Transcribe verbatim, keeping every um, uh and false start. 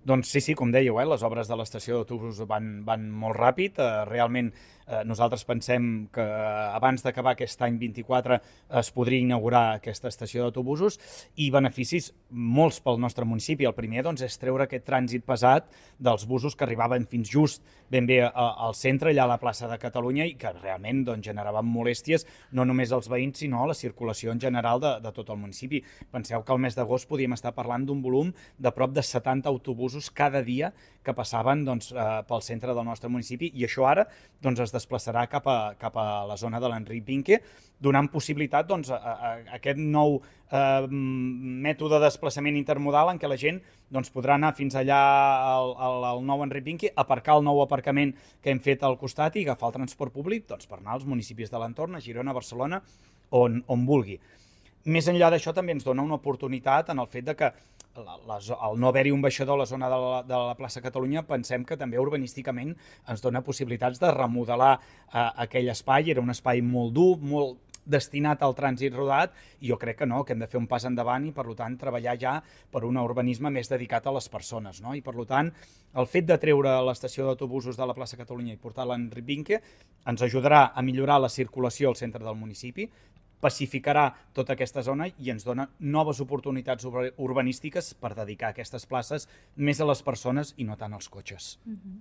Doncs sí, sí, com dèieu, eh, les obres de l'estació d'autobús van, van molt ràpid. Eh, realment eh, nosaltres pensem que abans d'acabar aquest any vint-i-quatre es podria inaugurar aquesta estació d'autobusos i beneficis molts pel nostre municipi. El primer doncs, és treure aquest trànsit pesat dels busos que arribaven fins just ben bé a, al centre, allà a la plaça de Catalunya, i que realment doncs, generaven molèsties no només als veïns, sinó a la circulació en general de, de tot el municipi. Penseu que al mes d'agost podíem estar parlant d'un volum de prop de setanta autobusos cada dia que passaven doncs, eh, pel centre del nostre municipi, i això ara doncs, es desplaçarà cap a, cap a la zona de l'Enric Vinque, donant possibilitat doncs, a, a, a aquest nou eh, mètode de desplaçament intermodal en què la gent doncs, podrà anar fins allà al, al, al nou Enric Vinque, aparcar el nou aparcament que hem fet al costat i agafar el transport públic doncs, per anar als municipis de l'entorn, a Girona, a Barcelona, on, on vulgui. Més enllà d'això, també ens dona una oportunitat en el fet de que la, la, al no haver-hi un baixador a la zona de la, de la plaça Catalunya, pensem que també urbanísticament ens dona possibilitats de remodelar eh, aquell espai. Era un espai molt dur, molt destinat al trànsit rodat, i jo crec que no, que hem de fer un pas endavant i, per tant, treballar ja per un urbanisme més dedicat a les persones. No? I, per tant, el fet de treure l'estació d'autobusos de la plaça Catalunya i portar-la a Enric Vinque ens ajudarà a millorar la circulació al centre del municipi, pacificarà tota aquesta zona i ens dona noves oportunitats urbanístiques per dedicar aquestes places més a les persones i no tant als cotxes. Uh-huh.